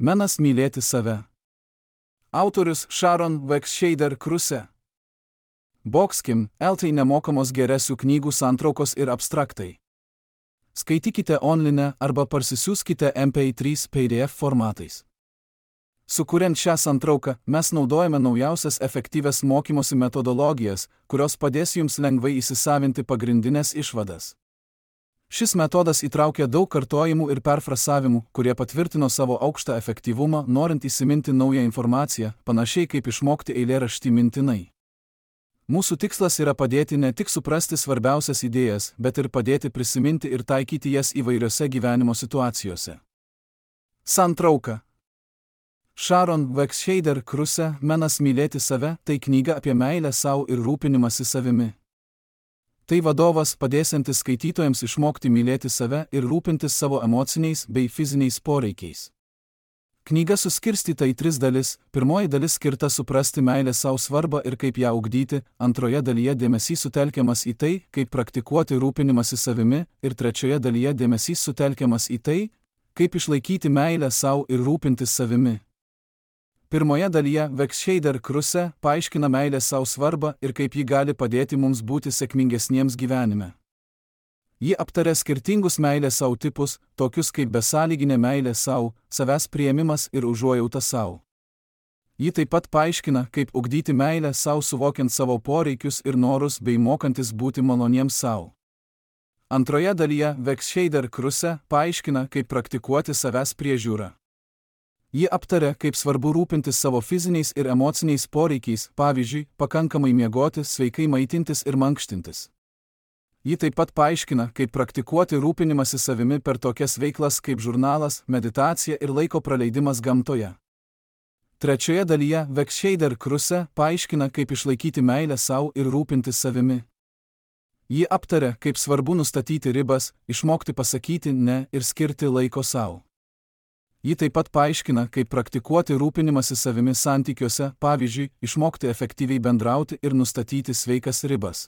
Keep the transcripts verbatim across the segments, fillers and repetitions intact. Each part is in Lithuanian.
Menas mylėti save. Autorius Sharon Wekshader Kruse. Boxkim, eltai nemokamos geresių knygų santraukos ir abstraktai. Skaitykite online arba parsisiųskite M P trys P D F formatais. Sukuriant šią santrauką, mes naudojame naujausias efektyvias mokymosi metodologijas, kurios padės jums lengvai įsisavinti pagrindinės išvadas. Šis metodas įtraukia daug kartojimų ir perfrasavimų, kurie patvirtino savo aukštą efektyvumą, norint įsiminti naują informaciją, panašiai kaip išmokti eilėraštį mintinai. Mūsų tikslas yra padėti ne tik suprasti svarbiausias idėjas, bet ir padėti prisiminti ir taikyti jas įvairiose gyvenimo situacijose. Santrauka. Sharon Wekshader Kruse Menas mylėti save – tai knyga apie meilę sau ir rūpinimąsi savimi. Tai vadovas padėsiantis skaitytojams išmokti mylėti save ir rūpintis savo emociniais bei fiziniais poreikiais. Knyga suskirstyta į tris dalis. Pirmoji dalis skirta suprasti meilę sau svarbą ir kaip ją ugdyti, antroje dalyje dėmesys sutelkiamas į tai, kaip praktikuoti rūpinimąsi savimi, ir trečioje dalyje dėmesys sutelkiamas į tai, kaip išlaikyti meilę sau ir rūpintis savimi. Pirmoje dalyje Wekshader Kruse paaiškina meilę sau svarbą ir kaip ji gali padėti mums būti sėkmingesniems gyvenime. Ji aptaria skirtingus meilės sau tipus, tokius kaip besąlyginė meilė sau, savęs priėmimas ir užuojauta sau. Ji taip pat paaiškina, kaip ugdyti meilę sau suvokiant savo poreikius ir norus bei mokantis būti maloniems sau. Antroje dalyje Wekshader Kruse paaiškina, kaip praktikuoti savęs priežiūrą. Ji aptaria, kaip svarbu rūpintis savo fiziniais ir emociniais poreikiais, pavyzdžiui, pakankamai miegoti, sveikai maitintis ir mankštintis. Ji taip pat paaiškina, kaip praktikuoti rūpinimąsi savimi per tokias veiklas kaip žurnalas, meditacija ir laiko praleidimas gamtoje. Trečioje dalyje Wekshader Kruse paaiškina, kaip išlaikyti meilę sau ir rūpintis savimi. Ji aptaria, kaip svarbu nustatyti ribas, išmokti pasakyti ne ir skirti laiko sau. Ji taip pat paaiškina, kaip praktikuoti rūpinimąsi savimi santykiuose, pavyzdžiui, išmokti efektyviai bendrauti ir nustatyti sveikas ribas.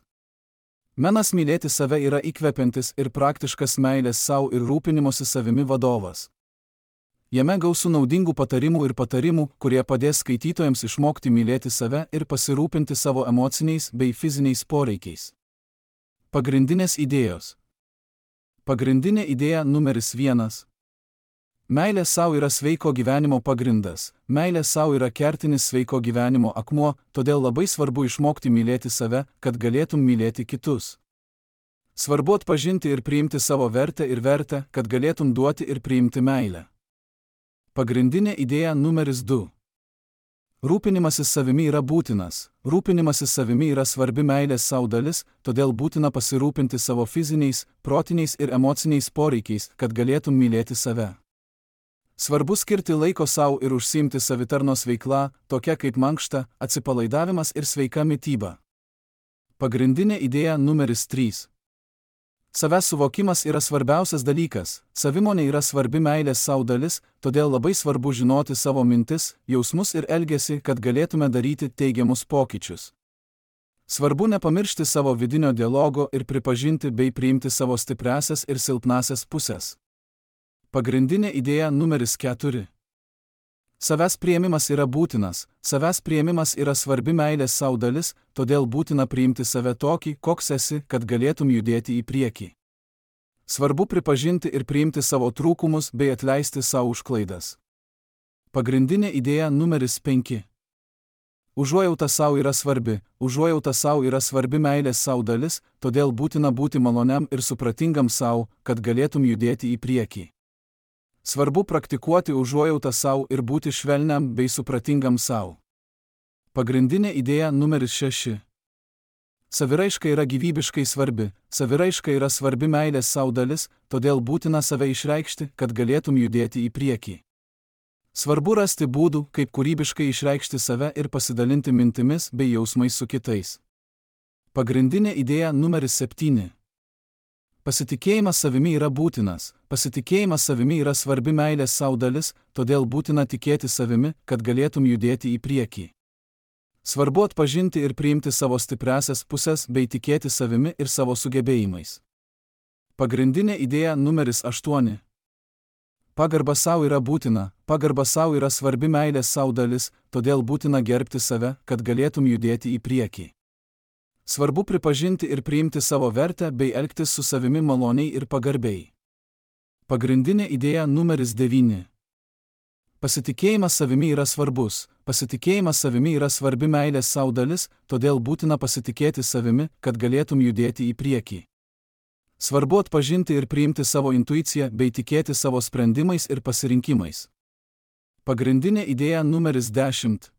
Menas mylėti save yra įkvepiantis ir praktiškas meilės sau ir rūpinimosi savimi vadovas. Jame gausu naudingų patarimų ir patarimų, kurie padės skaitytojams išmokti mylėti save ir pasirūpinti savo emociniais bei fiziniais poreikiais. Pagrindinės idėjos. Pagrindinė idėja numeris vienas. Meilė sau yra sveiko gyvenimo pagrindas. Meilė sau yra kertinis sveiko gyvenimo akmuo, todėl labai svarbu išmokti mylėti save, kad galėtum mylėti kitus. Svarbu atpažinti ir priimti savo vertę ir vertę, kad galėtum duoti ir priimti meilę. Pagrindinė idėja numeris du. Rūpinimasis savimi yra būtinas. Rūpinimasis savimi yra svarbi meilės sau dalis, todėl būtina pasirūpinti savo fiziniais, protiniais ir emociniais poreikiais, kad galėtum mylėti save. Svarbu skirti laiko sau ir užsiimti savitarnos veikla, tokia kaip mankšta, atsipalaidavimas ir sveika mityba. Pagrindinė idėja numeris trys. Savęs suvokimas yra svarbiausias dalykas. Savimonė yra svarbi meilės sau dalis, todėl labai svarbu žinoti savo mintis, jausmus ir elgesį, kad galėtume daryti teigiamus pokyčius. Svarbu nepamiršti savo vidinio dialogo ir pripažinti bei priimti savo stipriąsias ir silpnąsias pusės. Pagrindinė idėja numeris keturi. Savęs priėmimas yra būtinas. Savęs priėmimas yra svarbi meilės sau dalis, todėl būtina priimti save tokį, koks esi, kad galėtum judėti į priekį. Svarbu pripažinti ir priimti savo trūkumus bei atleisti sau už klaidas. Pagrindinė idėja numeris penki. Užuojauta sau yra svarbi. Užuojauta sau yra svarbi meilės sau dalis, todėl būtina būti maloniam ir supratingam sau, kad galėtum judėti į priekį. Svarbu praktikuoti užuojautą sau ir būti švelniam bei supratingam sau. Pagrindinė idėja numeris šeši. Saviraiška yra gyvybiškai svarbi. Saviraiška yra svarbi meilės sau dalis, todėl būtina save išreikšti, kad galėtum judėti į priekį. Svarbu rasti būdų, kaip kūrybiškai išreikšti save ir pasidalinti mintimis bei jausmais su kitais. Pagrindinė idėja numeris septyni. Pasitikėjimas savimi yra būtinas. Pasitikėjimas savimi yra svarbi meilės sau dalis, todėl būtina tikėti savimi, kad galėtum judėti į priekį. Svarbu atpažinti ir priimti savo stipriąsias pusės bei tikėti savimi ir savo sugebėjimais. Pagrindinė idėja numeris aštuoni. Pagarba savo yra būtina, pagarba savo yra svarbi meilės savo dalis, todėl būtina gerbti save, kad galėtum judėti į priekį. Svarbu pripažinti ir priimti savo vertę bei elgtis su savimi maloniai ir pagarbiai. Pagrindinė idėja numeris devyni. Pasitikėjimas savimi yra svarbus, pasitikėjimas savimi yra svarbi meilės savo dalis, todėl būtina pasitikėti savimi, kad galėtum judėti į priekį. Svarbu atpažinti ir priimti savo intuiciją bei tikėti savo sprendimais ir pasirinkimais. Pagrindinė idėja numeris dešimt.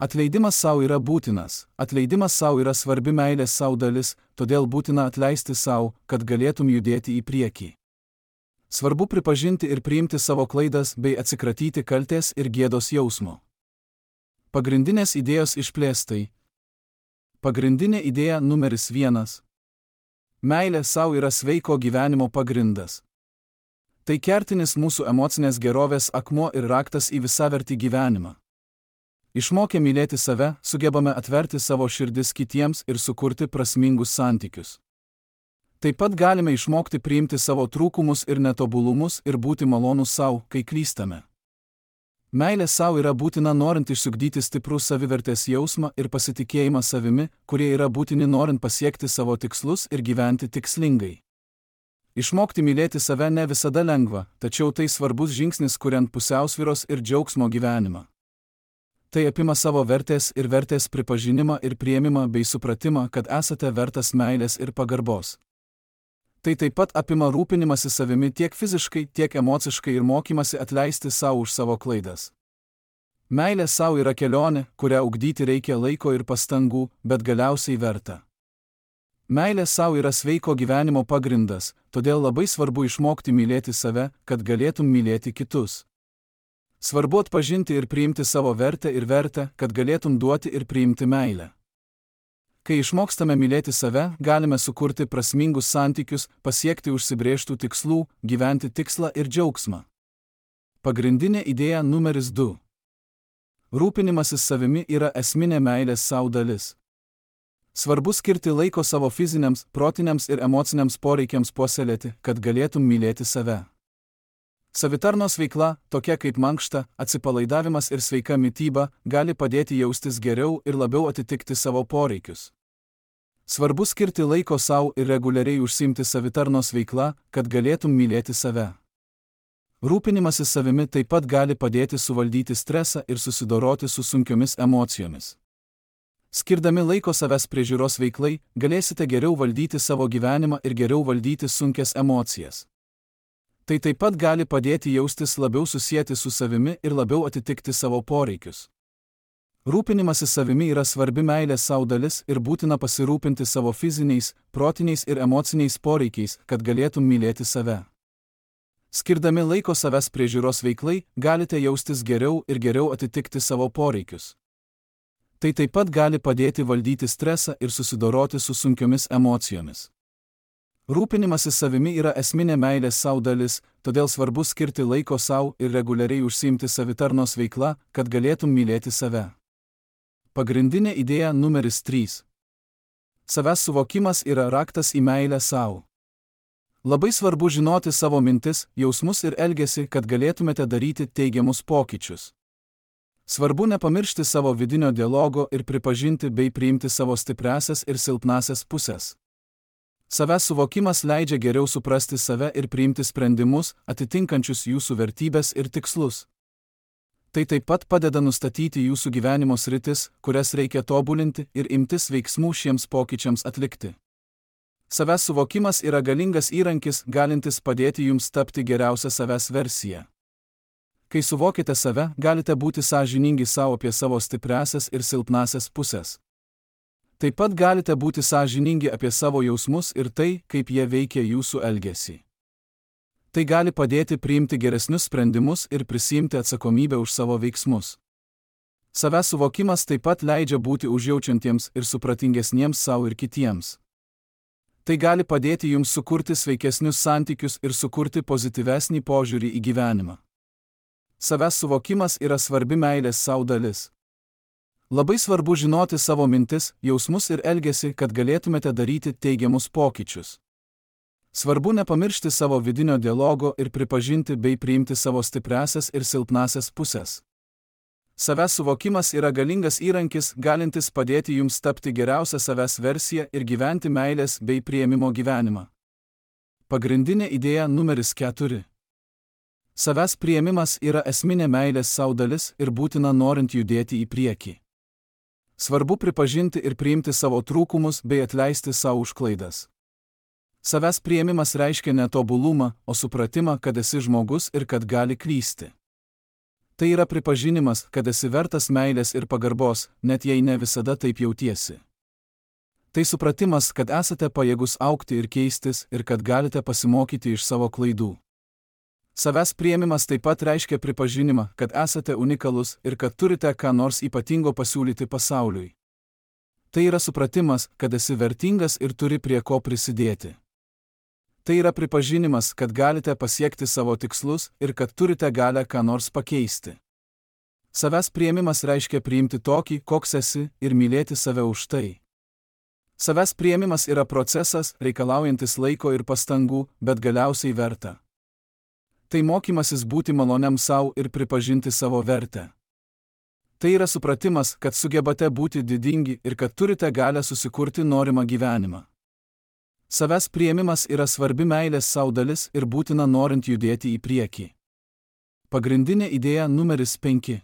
Atleidimas savo yra būtinas, atleidimas savo yra svarbi meilės savo dalis, todėl būtina atleisti savo, kad galėtum judėti į priekį. Svarbu pripažinti ir priimti savo klaidas bei atsikratyti kaltės ir gėdos jausmo. Pagrindinės idėjos išplėstai. Pagrindinė idėja numeris vienas. Meilė savo yra sveiko gyvenimo pagrindas. Tai kertinis mūsų emocinės gerovės akmuo ir raktas į visavertį gyvenimą. Išmokę mylėti save, sugebame atverti savo širdis kitiems ir sukurti prasmingus santykius. Taip pat galime išmokti priimti savo trūkumus ir netobulumus ir būti malonūs savo, kai klystame. Meilė savo yra būtina norint išsiugdyti stiprų savivertės jausmą ir pasitikėjimą savimi, kurie yra būtini norint pasiekti savo tikslus ir gyventi tikslingai. Išmokti mylėti save ne visada lengva, tačiau tai svarbus žingsnis kuriant pusiausvyros ir džiaugsmo gyvenimą. Tai apima savo vertės ir vertės pripažinimą ir priėmimą bei supratimą, kad esate vertas meilės ir pagarbos. Tai taip pat apima rūpinimąsi savimi tiek fiziškai, tiek emociškai ir mokymasi atleisti savo už savo klaidas. Meilė savo yra kelionė, kurią ugdyti reikia laiko ir pastangų, bet galiausiai verta. Meilė savo yra sveiko gyvenimo pagrindas, todėl labai svarbu išmokti mylėti save, kad galėtum mylėti kitus. Svarbu atpažinti ir priimti savo vertę ir vertę, kad galėtum duoti ir priimti meilę. Kai išmokstame mylėti save, galime sukurti prasmingus santykius, pasiekti užsibrėžtų tikslų, gyventi tikslą ir džiaugsmą. Pagrindinė idėja numeris du. Rūpinimasis savimi yra esminė meilės savo dalis. Svarbu skirti laiko savo fiziniams, protiniams ir emociniams poreikiams puoselėti, kad galėtum mylėti save. Savitarnos veikla, tokia kaip mankšta, atsipalaidavimas ir sveika mityba, gali padėti jaustis geriau ir labiau atitikti savo poreikius. Svarbu skirti laiko savo ir reguliariai užsiimti savitarnos veikla, kad galėtum mylėti save. Rūpinimasis savimi taip pat gali padėti suvaldyti stresą ir susidoroti su sunkiomis emocijomis. Skirdami laiko savęs priežiūros veiklai, galėsite geriau valdyti savo gyvenimą ir geriau valdyti sunkias emocijas. Tai taip pat gali padėti jaustis labiau susieti su savimi ir labiau atitikti savo poreikius. Rūpinimasis savimi yra svarbi meilės savo dalis ir būtina pasirūpinti savo fiziniais, protiniais ir emociniais poreikiais, kad galėtum mylėti save. Skirdami laiko savęs priežiūros veiklai, galite jaustis geriau ir geriau atitikti savo poreikius. Tai taip pat gali padėti valdyti stresą ir susidoroti su sunkiomis emocijomis. Rūpinimasis savimi yra esminė meilės savo dalis, todėl svarbu skirti laiko savo ir reguliariai užsiimti savitarnos veikla, kad galėtum mylėti save. Pagrindinė idėja numeris trys. Savęs suvokimas yra raktas į meilę savo. Labai svarbu žinoti savo mintis, jausmus ir elgesį, kad galėtumėte daryti teigiamus pokyčius. Svarbu nepamiršti savo vidinio dialogo ir pripažinti bei priimti savo stipriasias ir silpnasias pusės. Savęs suvokimas leidžia geriau suprasti save ir priimti sprendimus, atitinkančius jūsų vertybės ir tikslus. Tai taip pat padeda nustatyti jūsų gyvenimo sritis, kurias reikia tobulinti ir imtis veiksmų šiems pokyčiams atlikti. Savęs suvokimas yra galingas įrankis, galintis padėti jums tapti geriausią savęs versiją. Kai suvokite save, galite būti sąžiningi savo apie savo stipriasias ir silpnasias pusės. Taip pat galite būti sąžiningi apie savo jausmus ir tai, kaip jie veikia jūsų elgesį. Tai gali padėti priimti geresnius sprendimus ir prisiimti atsakomybę už savo veiksmus. Savęs suvokimas taip pat leidžia būti užjaučiantiems ir supratingesniems savo ir kitiems. Tai gali padėti jums sukurti sveikesnius santykius ir sukurti pozityvesnį požiūrį į gyvenimą. Savęs suvokimas yra svarbi meilės savo dalis. Labai svarbu žinoti savo mintis, jausmus ir elgesį, kad galėtumėte daryti teigiamus pokyčius. Svarbu nepamiršti savo vidinio dialogo ir pripažinti bei priimti savo stipriasias ir silpnasias pusės. Savęs suvokimas yra galingas įrankis, galintis padėti jums tapti geriausią savęs versiją ir gyventi meilės bei priėmimo gyvenimą. Pagrindinė idėja numeris keturi. Savęs priėmimas yra esminė meilės sau dalis ir būtina norint judėti į priekį. Svarbu pripažinti ir priimti savo trūkumus bei atleisti savo už klaidas. Savęs priėmimas reiškia ne tobulumą, o supratimą, kad esi žmogus ir kad gali klysti. Tai yra pripažinimas, kad esi vertas meilės ir pagarbos, net jei ne visada taip jautiesi. Tai supratimas, kad esate pajėgus augti ir keistis ir kad galite pasimokyti iš savo klaidų. Savęs priėmimas taip pat reiškia pripažinimą, kad esate unikalus ir kad turite ką nors ypatingo pasiūlyti pasauliui. Tai yra supratimas, kad esi vertingas ir turi prie ko prisidėti. Tai yra pripažinimas, kad galite pasiekti savo tikslus ir kad turite galę ką nors pakeisti. Savęs priėmimas reiškia priimti tokį, koks esi, ir mylėti save už tai. Savęs priėmimas yra procesas, reikalaujantis laiko ir pastangų, bet galiausiai verta. Tai mokymasis būti maloniam sau ir pripažinti savo vertę. Tai yra supratimas, kad sugebate būti didingi ir kad turite galę susikurti norimą gyvenimą. Savęs priėmimas yra svarbi meilės sau dalis ir būtina norint judėti į priekį. Pagrindinė idėja numeris penki.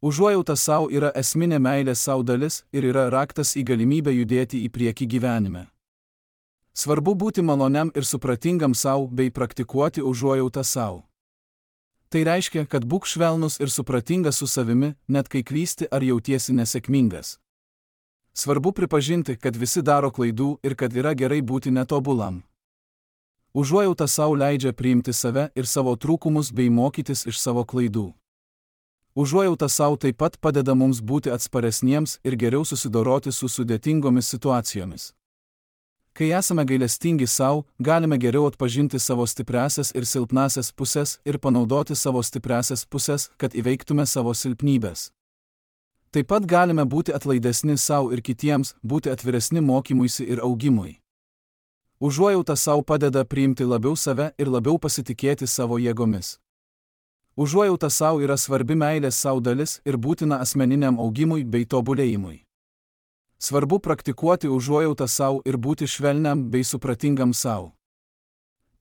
Užuojauta sau yra esminė meilės sau dalis ir yra raktas į galimybę judėti į priekį gyvenime. Svarbu būti maloniam ir supratingam sau bei praktikuoti užuojautą sau. Tai reiškia, kad būk švelnus ir supratingas su savimi, net kai klysti ar jautiesi nesėkmingas. Svarbu pripažinti, kad visi daro klaidų ir kad yra gerai būti netobulam. Užuojauta sau leidžia priimti save ir savo trūkumus bei mokytis iš savo klaidų. Užuojauta sau taip pat padeda mums būti atsparesniems ir geriau susidoroti su sudėtingomis situacijomis. Kai esame gailestingi sau, galime geriau atpažinti savo stipriasias ir silpnasias pusės ir panaudoti savo stipriasias pusės, kad įveiktume savo silpnybės. Taip pat galime būti atlaidesni sau ir kitiems, būti atviresni mokymuisi ir augimui. Užuojauta sau padeda priimti labiau save ir labiau pasitikėti savo jėgomis. Užuojauta sau yra svarbi meilės sau dalis ir būtina asmeniniam augimui bei tobulėjimui. Svarbu praktikuoti užuojautą sau ir būti švelniam bei supratingam sau.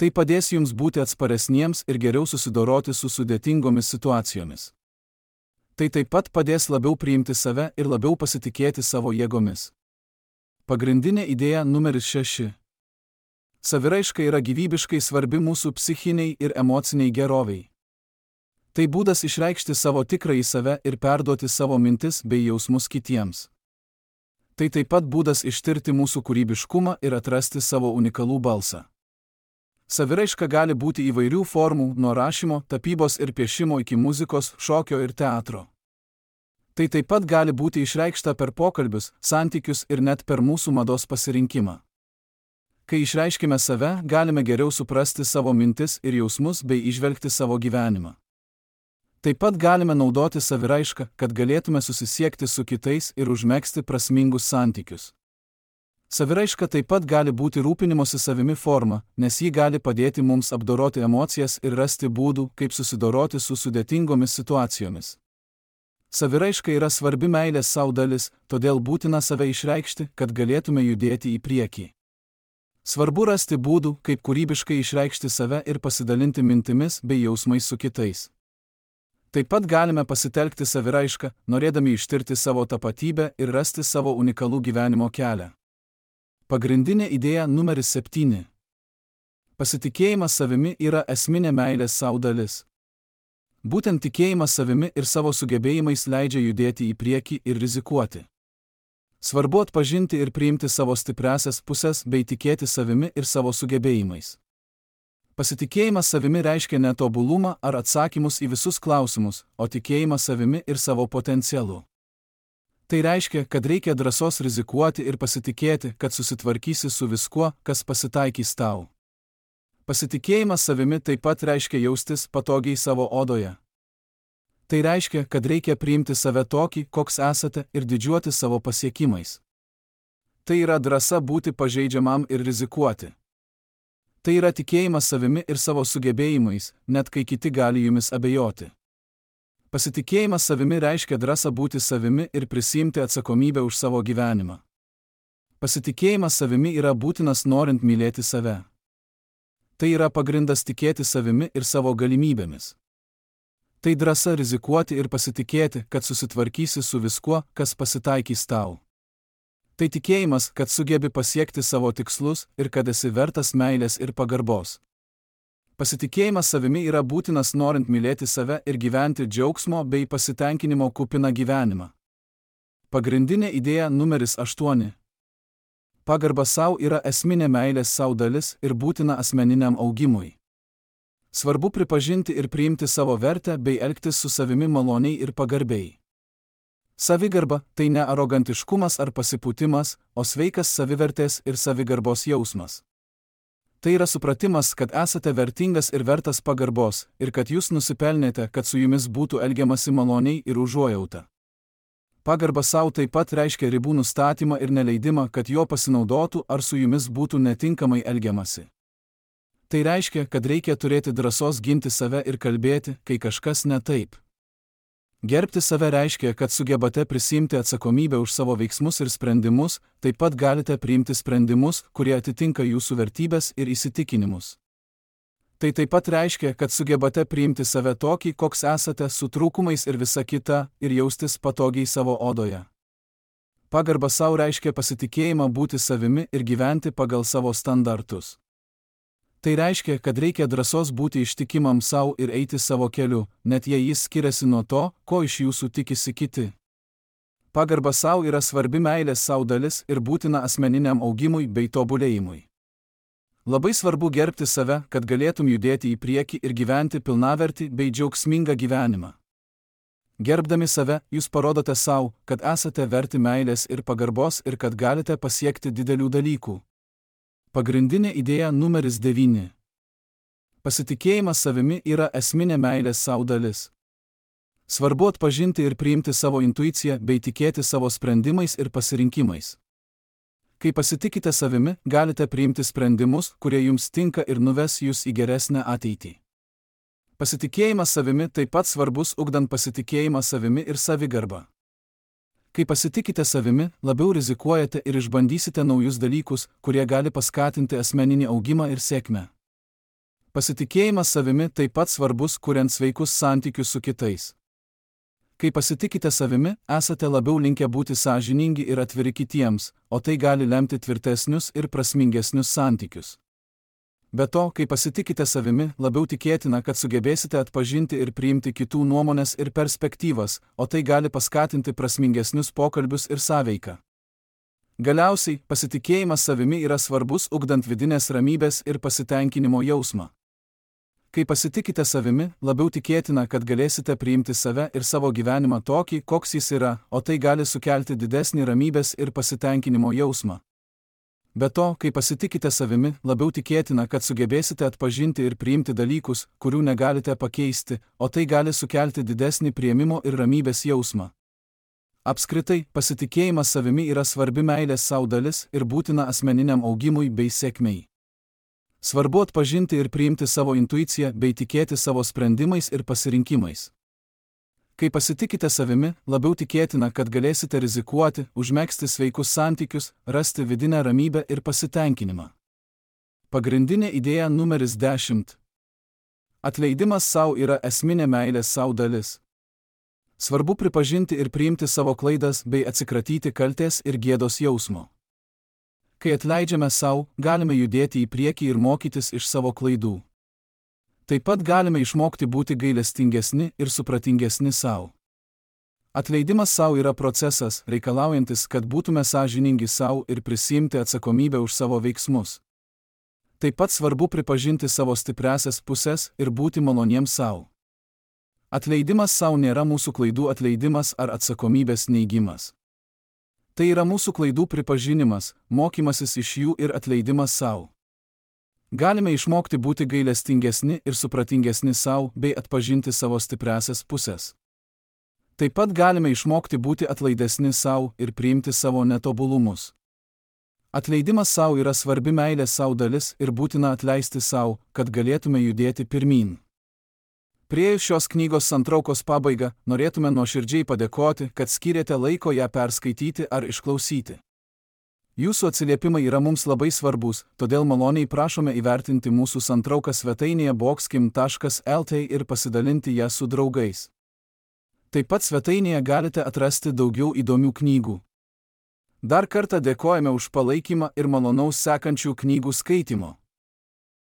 Tai padės jums būti atsparesniems ir geriau susidoroti su sudėtingomis situacijomis. Tai taip pat padės labiau priimti save ir labiau pasitikėti savo jėgomis. Pagrindinė idėja numeris šeši. Saviraiška yra gyvybiškai svarbi mūsų psichiniai ir emociniai geroviai. Tai būdas išreikšti savo tikrąjį save ir perduoti savo mintis bei jausmus kitiems. Tai taip pat būdas ištirti mūsų kūrybiškumą ir atrasti savo unikalų balsą. Saviraiška gali būti įvairių formų, nuo rašymo, tapybos ir piešimo iki muzikos, šokio ir teatro. Tai taip pat gali būti išreikšta per pokalbius, santykius ir net per mūsų mados pasirinkimą. Kai išreiškime save, galime geriau suprasti savo mintis ir jausmus bei įžvelgti savo gyvenimą. Taip pat galime naudoti saviraišką, kad galėtume susisiekti su kitais ir užmegzti prasmingus santykius. Saviraiška taip pat gali būti rūpinimosi savimi forma, nes ji gali padėti mums apdoroti emocijas ir rasti būdų, kaip susidoroti su sudėtingomis situacijomis. Saviraiška yra svarbi meilės sau dalis, todėl būtina save išreikšti, kad galėtume judėti į priekį. Svarbu rasti būdų, kaip kūrybiškai išreikšti save ir pasidalinti mintimis bei jausmais su kitais. Taip pat galime pasitelkti saviraišką, norėdami ištirti savo tapatybę ir rasti savo unikalų gyvenimo kelią. Pagrindinė idėja numeris septyni. Pasitikėjimas savimi yra esminė meilės sau dalis. Būtent tikėjimas savimi ir savo sugebėjimais leidžia judėti į priekį ir rizikuoti. Svarbu atpažinti ir priimti savo stipriasias pusės bei tikėti savimi ir savo sugebėjimais. Pasitikėjimas savimi reiškia ne tobulumą ar atsakymus į visus klausimus, o tikėjimą savimi ir savo potencialu. Tai reiškia, kad reikia drąsos rizikuoti ir pasitikėti, kad susitvarkysi su viskuo, kas pasitaikys tau. Pasitikėjimas savimi taip pat reiškia jaustis patogiai savo odoje. Tai reiškia, kad reikia priimti save tokį, koks esate, ir didžiuoti savo pasiekimais. Tai yra drąsa būti pažeidžiamam ir rizikuoti. Tai yra tikėjimas savimi ir savo sugebėjimais, net kai kiti gali jumis abejoti. Pasitikėjimas savimi reiškia drąsą būti savimi ir prisiimti atsakomybę už savo gyvenimą. Pasitikėjimas savimi yra būtinas norint mylėti save. Tai yra pagrindas tikėti savimi ir savo galimybėmis. Tai drąsa rizikuoti ir pasitikėti, kad susitvarkysi su viskuo, kas pasitaikys tau. Tai tikėjimas, kad sugebi pasiekti savo tikslus ir kad esi vertas meilės ir pagarbos. Pasitikėjimas savimi yra būtinas norint mylėti save ir gyventi džiaugsmo bei pasitenkinimo kupiną gyvenimą. Pagrindinė idėja numeris aštuoni. Pagarba sau yra esminė meilės sau dalis ir būtina asmeniniam augimui. Svarbu pripažinti ir priimti savo vertę bei elgtis su savimi maloniai ir pagarbiai. Savigarba – tai ne arogantiškumas ar pasipūtimas, o sveikas savivertės ir savigarbos jausmas. Tai yra supratimas, kad esate vertingas ir vertas pagarbos, ir kad jūs nusipelnėte, kad su jumis būtų elgiamasi maloniai ir užuojauta. Pagarba sau taip pat reiškia ribų nustatymą ir neleidimą, kad jo pasinaudotų ar su jumis būtų netinkamai elgiamasi. Tai reiškia, kad reikia turėti drąsos ginti save ir kalbėti, kai kažkas ne taip. Gerbti save reiškia, kad sugebate prisiimti atsakomybę už savo veiksmus ir sprendimus, taip pat galite priimti sprendimus, kurie atitinka jūsų vertybes ir įsitikinimus. Tai taip pat reiškia, kad sugebate priimti save tokį, koks esate, su trūkumais ir visa kita, ir jaustis patogiai savo odoje. Pagarba sau reiškia pasitikėjimą būti savimi ir gyventi pagal savo standartus. Tai reiškia, kad reikia drąsos būti ištikimam sau ir eiti savo keliu, net jei jis skiriasi nuo to, ko iš jūsų tikisi kiti. Pagarba sau yra svarbi meilės sau dalis ir būtina asmeniniam augimui bei tobulėjimui. Labai svarbu gerbti save, kad galėtum judėti į priekį ir gyventi pilnavertį bei džiaugsmingą gyvenimą. Gerbdami save, jūs parodote sau, kad esate verti meilės ir pagarbos ir kad galite pasiekti didelių dalykų. Pagrindinė idėja numeris devyni. Pasitikėjimas savimi yra esminė meilės sau dalis. Svarbu atpažinti ir priimti savo intuiciją bei tikėti savo sprendimais ir pasirinkimais. Kai pasitikite savimi, galite priimti sprendimus, kurie jums tinka ir nuves jūs į geresnę ateitį. Pasitikėjimas savimi taip pat svarbus ugdant pasitikėjimą savimi ir savigarbą. Kai pasitikite savimi, labiau rizikuojate ir išbandysite naujus dalykus, kurie gali paskatinti asmeninį augimą ir sėkmę. Pasitikėjimas savimi taip pat svarbus, kuriant sveikus santykius su kitais. Kai pasitikite savimi, esate labiau linkę būti sąžiningi ir atviri kitiems, o tai gali lemti tvirtesnius ir prasmingesnius santykius. Be to, kai pasitikite savimi, labiau tikėtina, kad sugebėsite atpažinti ir priimti kitų nuomonės ir perspektyvas, o tai gali paskatinti prasmingesnius pokalbius ir sąveiką. Galiausiai, pasitikėjimas savimi yra svarbus ugdant vidinės ramybės ir pasitenkinimo jausmą. Kai pasitikite savimi, labiau tikėtina, kad galėsite priimti save ir savo gyvenimą tokį, koks jis yra, o tai gali sukelti didesnį ramybės ir pasitenkinimo jausmą. Be to, kai pasitikite savimi, labiau tikėtina, kad sugebėsite atpažinti ir priimti dalykus, kurių negalite pakeisti, o tai gali sukelti didesnį priėmimo ir ramybės jausmą. Apskritai, pasitikėjimas savimi yra svarbi meilės sau dalis ir būtina asmeniniam augimui bei sėkmei. Svarbu atpažinti ir priimti savo intuiciją bei tikėti savo sprendimais ir pasirinkimais. Kai pasitikite savimi, labiau tikėtina, kad galėsite rizikuoti, užmegzti sveikus santykius, rasti vidinę ramybę ir pasitenkinimą. Pagrindinė idėja numeris dešimt. Atleidimas sau yra esminė meilės sau dalis. Svarbu pripažinti ir priimti savo klaidas bei atsikratyti kaltės ir gėdos jausmo. Kai atleidžiame sau, galime judėti į priekį ir mokytis iš savo klaidų. Taip pat galime išmokti būti gailestingesni ir supratingesni sau. Atleidimas sau yra procesas, reikalaujantis, kad būtume sąžiningi sau ir prisiimti atsakomybę už savo veiksmus. Taip pat svarbu pripažinti savo stipriąsias puses ir būti maloniems sau. Atleidimas sau nėra mūsų klaidų atleidimas ar atsakomybės neigimas. Tai yra mūsų klaidų pripažinimas, mokymasis iš jų ir atleidimas sau. Galime išmokti būti gailestingesni ir supratingesni sau bei atpažinti savo stipriąsias puses. Taip pat galime išmokti būti atlaidesni sau ir priimti savo netobulumus. Atleidimas savo yra svarbi meilės savo dalis ir būtina atleisti savo, kad galėtume judėti pirmyn. Priėjus šios knygos santraukos pabaigą, norėtume nuoširdžiai padėkoti, kad skyrėte laiko ją perskaityti ar išklausyti. Jūsų atsiliepimai yra mums labai svarbus, todėl maloniai prašome įvertinti mūsų santrauką svetainėje boxkim taškas lt ir pasidalinti ją su draugais. Taip pat svetainėje galite atrasti daugiau įdomių knygų. Dar kartą dėkojame už palaikymą ir malonaus sekančių knygų skaitimo.